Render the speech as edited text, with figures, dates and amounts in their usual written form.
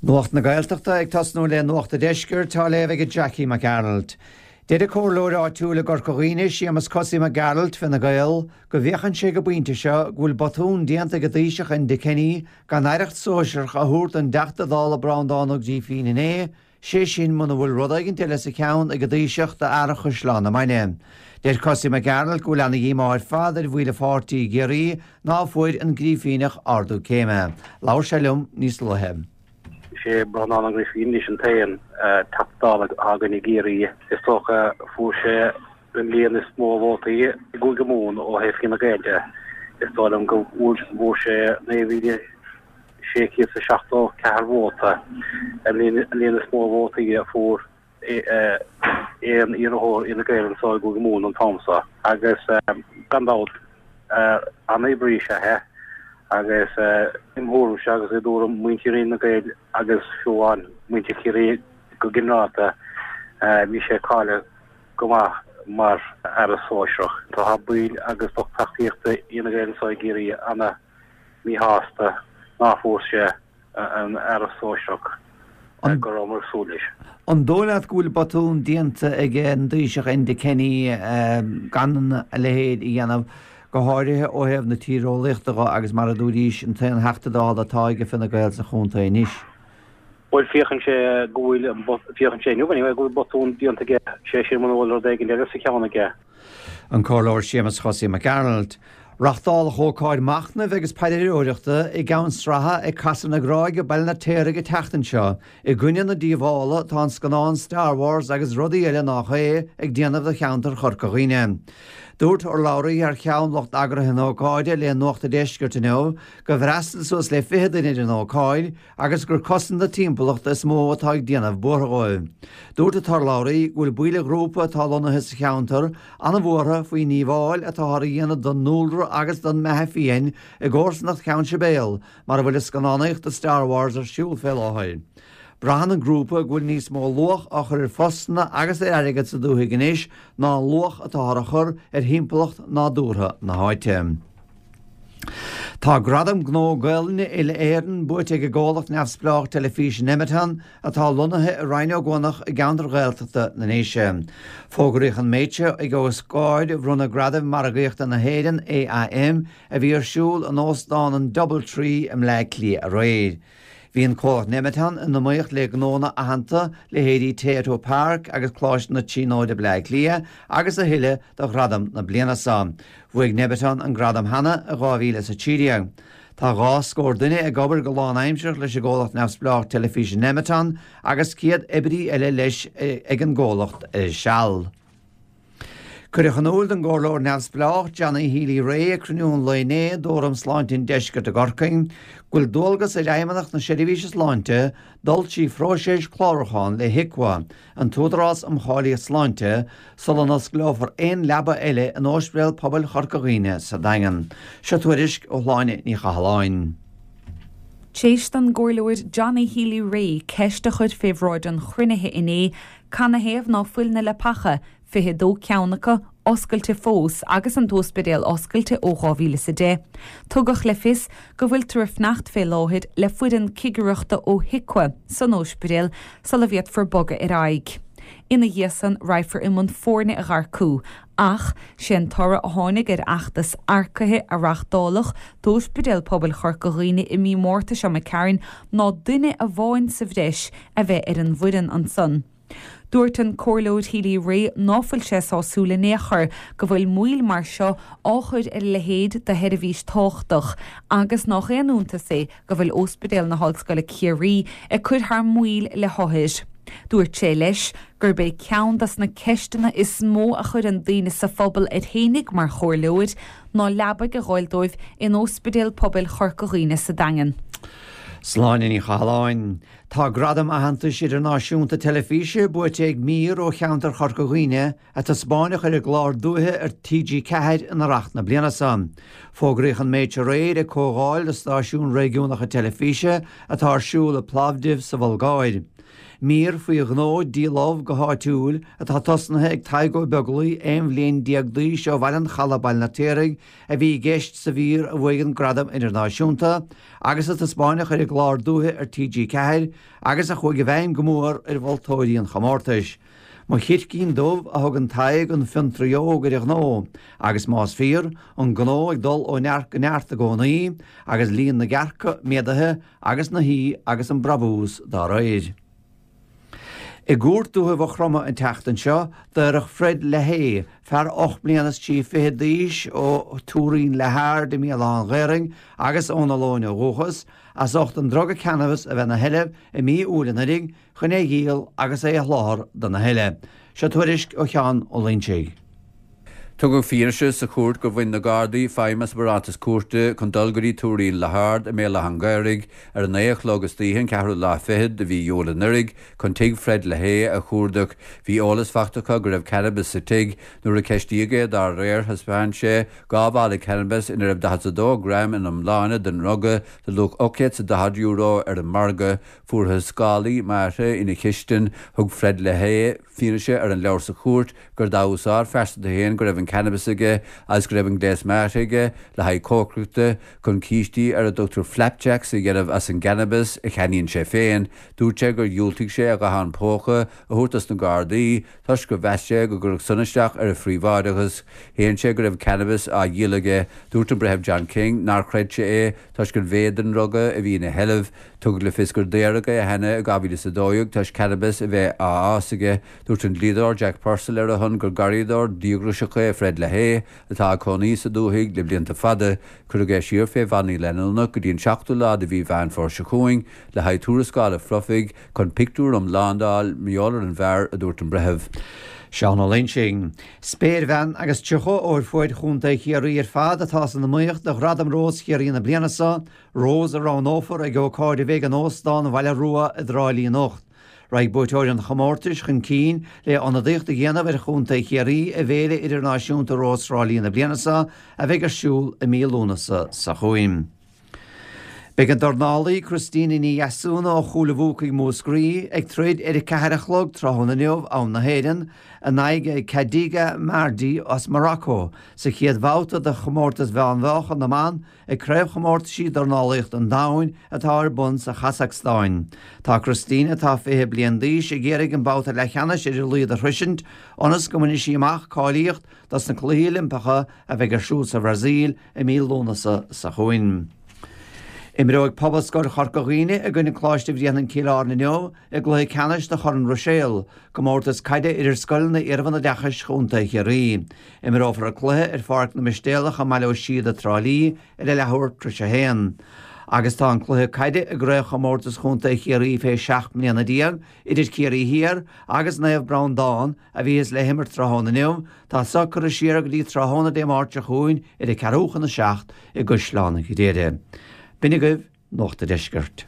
Nuacht na Gaeltachta ag tosnú le Nuacht a' Deiscirt, á léamh ag Jackie Mac Gearailt. Deir an comhairleoir áitiúil i gCorca Dhuibhne, Séamus Cosaí Mac Gearailt, Fine Gael, go bhféachann sé ag an bpointe seo go bhfuil botún déanta ag an Taoiseach Enda Kenny gan aireacht sóisearach a thabhairt don dTeachta Dála Breandán Ó Grífín inné, sé sin muna bhfuil rud éigint eile sa cheann ag an dTaoiseach d'fhear Chaisleán na Mainge. Deir Cosaí Mac Gearailt go bhfuil ana-dhíomá ar fad ar bhaill an pháirtí i gCiarraí ná fuair an Grífíneach ardú céime. Labhair sé liom níos luaithe. Is é Breandán Ó Grífín anois an t-aon Teachta Dála atá againn i gCiarraí. Is dócha fuair sé an líon is mó vótaí i gCúige Mumhan ó thaobh Fine Gael de. Is dóigh liom go bhfuair sé 9,000 674 vóta, an líon is mó vótaí a fuair aon iarrthóir Fhine Gael anseo i gCúige Mumhan an t-am seo. Agus gan dabht, an-oibrí is ea é agus im thuairimse agus i dtuairim muintir Fhine Gael agus fiú amháin muintir Chiarraí go ginearálta, bhí sé cáilithe go maith mar aire sóisearach. Tá baill agus lucht tacaíochta Fhine Gael anseo i gCiarraí ana míshásta ná fuair sé an aireacht sóisearach go rabhamar ag súil leis. An dóigh leat go bhfuil botún déanta ag an dTaoiseach Enda Kenny gan a leithéid a dhéanamh, go háirithe ó thaobh na tíreolaíochta dho agus mar a dúraís, an t-aon Theachta Dála atá ag Fine Gael sa chontae anois? Bhuel, féachann sé go bhfuil, féachann sé inniu anyway, go bhfuil botún déanta aige, sé sin muna bhfuil rud éigin eile sa cheann aige. An Comhairleoir Séamus Chosaí Mac Gearailt. Reachtáladh ócáid machnaimh agus paidreoireachta i gCeann Sratha ag Casadh na Gráige, Baile an Fheirtéaraigh an tseachtain seo i gcoinne na díobhála atá an scannán Star Wars agus rudaí eile nách é ag déanamh do cheantar Chorca Dhuibhne. Dúirt urlabhraí thar cheann lucht eagraithe na hócáide le Nuacht a' Deiscirt inniu gur fhreastail suas le 20 duine ar an ócáid agus gur cosaint na timpeallachta is mó atá ag déanamh buartha dhóibh. Dúirt an t-urlabhraí go bhfuil baill an ghrúpa atá lonnaithe sa cheantar an-bhuartha faoin ndíobháil atáthar a dhéanamh don ndúlra agus don mbeatha fiáin i gcomharsanacht Cheann Sibéal mar a bhfuil an scannánaíocht do Star Wars ar siúl fé láthair. Braitheann an grúpa go bhfuil níos mó luach á chur ar phostanna agus ar airgead sa dúthaigh anois ná an luach atáthar a chur ar thimpeallacht nádúrtha na háite. Tá Gradam Gnó Gaelainne Uile-Éireann buaite ag an gcomhlacht neamhspleách teilifíse Nemeton atá lonnaithe i Rinn Ó gCuanach i gceantar Ghaeltachta na nDéise. Fógraíodh an méid seo ag ócáid bhronnadh Gradaim Margaíochta na hÉireann, AIM, a bhí ar siúl in Óstán an Doubletree i mBleá Cliath aréir. Bhí an comhlacht Nemeton in iomaíocht le gnónna aitheanta, leithéidí Tayto Park agus Coláiste na Tríonóide Bleá Cliath agus a thuilleadh do ghradam na bliana seo. Bhuaigh Nemeton an gradam cheana i 2013. Tá dhá scór duine ag obair go lánaimsearach leis an gcomhlacht neamhspleách teilifíse Nemeton agus 100 oibrí eile leis ag an gcomhlacht ar seal. Cuireadh in iúl don gComhairleoir neamhspleách Johnny Healy-Rae ag cruinniú an lae inné d'Fhóram Sláinte an Deiscirt i gCorcaigh go bhfuil dualgas ar Fheidhmeannacht na Seirbhíse Sláinte dul trí phróiseas clárúcháin le HIQA, an tÚdarás um Cháilíocht Sláinte, sula n-osclófar aon leaba eile in Ospidéal Pobail Chorca Dhuibhne sa Daingean. Seo tuairisc ó Shláine Ní Chathalláin. T'éis don gComhairleoir Johnny Healy-Rae ceist a chur fé bhráid an chruinnithe inné, Canathaobh ná fuil na leapacha, 22 ceann acu, oscailte fós agus an t-óspidéal oscailte ó 2010? Tugadh le fios go bhfuiltear ag fanacht fé láthair le foireann cigireachta ó HIQA san óispidéal sula bhféadfar bogadh ar aghaidh. Ina dhiaidh san raghfar i mbun foirne a dh'earcú ach sé an toradh a tháinig ar fheachtas earcaithe a reachtáladh d'Óispidéal Pobail Chorca Dhuibhne i mí Márta seo imigh tharainn ná duine amháin sa bhreis a bheith ar an bhfoireann ansan. Dúirt an Comhairleoir Healy-Rae ná fuil sé sásúil in aon chor go bhfuil moill mar seo á chur ar a leithéid de sheirbhís tábhachtach agus nách aon iontas é go bhfuil Óspidéal na hOllscoile Ciarraí ag cur thar maoil le hothair. Dúirt sé leis gurb é ceann dos na ceisteanna is mó a chuireann daoine sa phobal air fhéinig mar chomhairleoir ná leabaidh a dh'fháil dóibh in Óspidéal Pobail Chorca Dhuibhne sa Daingean. Sláine Ní Chathalláin. Tá gradam aitheantais idirnáisiúnta teilifíse buaite ag mír ó cheantar Chorca Dhuibhne a taispeáineadh ar an gclár Dúiche ar TG4 in Earrach na bliana seo. Fógraíodh an méid seo aréir ag comhdháil do stáisiúin réigiúnacha teilifíse atá ar siúl i Plovdiv sa Bhulgáir. Mír faoi ghnó díol ubh go háitiúil atá tosnaithe ag Tadhg Ó Beaglaoi, 11 bhliain d'aois ó Bhaile an Chalaidh, Baile an Fheirtéaraigh, a bhí i gceist sa mhír a bhuaigh an gradam idirnáisiúnta agus a taispeáineadh ar an gclár Dúiche ar TG4 agus a chuaigh i bhfeidhm go mór ar mholtóirí an chomórtais. Mo Chircín Dubh a thugann Tadhg an fiontraí óg ar a ghnó, agus más fíor, an gnó ag dul ó neart go neart i gcónaí, agus líon na gcearca méadaithe agus na haoi agus an brabús dá réir. I gCúirt Dúiche Mhaigh Chromtha an tseachtain seo, daoradh Fred Lahey, fear 8 mbliana is 23 fichead d'aois ó Tuairín le hArd i mBéal Átha an Ghaorthaidh agus ón Ollóin ó dhúchas, as ucht an druga cannabis a bheith ina sheilbh i mí Iúil anuraidh, chun é a dhíol agus é a sholáthar do na heile. Seo tuairisc ó Sheán Ó Loingsigh. Tugadh fianaise sa chúirt gur bhain na Gardaí feidhm as barántas cúirte chun dul go dtí Tuairín le hArd i mBéal Átha an Ghaorthaidh ar a naoi a chlog istoíche an ceathrú lá fichead de mhí Iúil anuraidh chun tigh Fred Lahey a chuardach. Bhí eolas faighte acu go raibh cannabas sa tigh. Nuair a ceistíodh é dá réir thaispeáin sé 2 mhála cannabais ina raibh 42 gram ina iomláine den ndruga de luach €840 ar an margadh. Fuarthas scálaí meáite ina chistin. Thug Fred Lahey fianaise ar an leabhar sa chúirt gur dá úsáid phearsanta féin go raibh an cannabas aige agus go raibh an gléas meáite aige le haghaidh cócaireachta chun cístí ar a dtugtar flapjacks a dhéanamh as an gcannabas a cheannaíonn sé féin. Dúirt sé gur dhiúltaigh sé a ghuthán póca a thabhairt dos na Gardaí toisc gur mheas sé go gcuirfeadh san isteach ar a phríobháideachas. Shéan sé go raibh cannabas á dhíol aige. Dúirt an Breitheamh John King nár chreid sé é toisc an mhéid den ndruga a bhí ina sheilbh. Tugadh le fios gur daoradh é cheana i 2012 toisc cannabas a bheith á fhás aige. Dúirt an dlíodóir Jack Purcell ar a shon gur garraíodóir díograiseach é Fred Lahey atá ag cónaí sa dúthaigh le blianta fada. Cuireadh é siar fé bhannaí leanúnach go dtí an seachtú lá de mhí Mheán Fómhair seo chugainn le haghaidh tuarascála phrofaigh chun pictiúr iomlán d'fháil mar gheall ar an bhfear, a dúirt an breitheamh. Seán Ó Loingsigh. Spéirbhean agus 30 ó ar fuaid Chontae Chiarraí ar fad atá san iomaíocht do Ghradam Rós Chiarraí na bliana seo, Rós a roghnófar ag ócáid a bheidh in Óstán Bhaile Rua i dTrá Lí anocht. Raghaidh buaiteoirí an chomórtais chun cinn le ionadaíocht a dhéanamh ar Chontae Chiarraí i bhFéile Idirnáisiúnta Rós Thrá Lí na bliana seo a bheidh ar siúl i mí Lúnasa seo chugainn. Beidh an dornálaí Christina Ní Dheasúna ó Chúil a' Bhuacaigh, Múscraí, ag troid ar a 4 a chlog tráthnóna inniu, am na hÉireann, in aghaidh Khadija Mardi as Morocco sa chéad bhabhta de chomórtas mheánmheáchan na mban ag Craobhchomórtaisí Dornálaíochta an Domhain atá ar bun sa Chasacstáin. Tá Christina, atá 20 bliain d'aois, ag iarraidh an babhta leathcheannais ar a laghad a shroisint ionas go mbainfidh sí amach cáilíocht dos na Cluichí Oilimpeacha a bheidh ar siúl sa Bhrasaíl i mí Lúnasa seo chugainn. Imreoidh Pobalscoil Chorca Dhuibhne i gcoinne Coláiste Bhréanainn Cill Airne inniu i gcluiche ceannais de Chorn Ruiséal, comórtas caide idir scoileanna iarbhunoideachais Chontae Chiarraí. Imreofar an cluiche ar Pháirc na Mistéalach i mBaile Ó Síoda, Trá Lí, ar a leathuair tar éis a haon. Agus tá an cluiche caide i gCraobhchomórtas Chontae Chiarraí fé 17 mbliana idir Ciarraí Thiar agus Naomh Breandán a bhíothas le himirt tráthnóna inniu, tá so curtha siar go dtí tráthnóna Dé Máirt seo chugainn ar a ceathrú chun a 7 i gCaisleán Ghriaire. B'in agaibh Nuacht a' Deiscirt.